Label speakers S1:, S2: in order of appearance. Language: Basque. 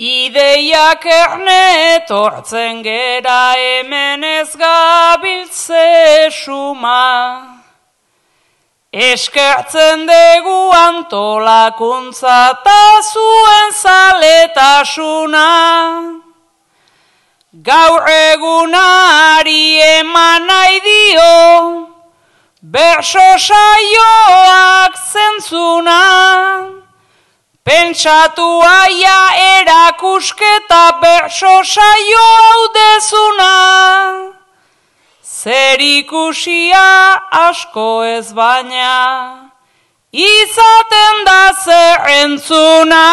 S1: Ideiak erne tortzen gera hemen ez gabiltze suma. Eskertzen dugu antolakuntza ta zuen zaletasuna. Gaur egunari eman nahi dio, berso saioak zentzuna. Pentsatu aia erakusketa berso saio hau dezuna. Zer ikusia asko ez baina, izaten da zer entzuna.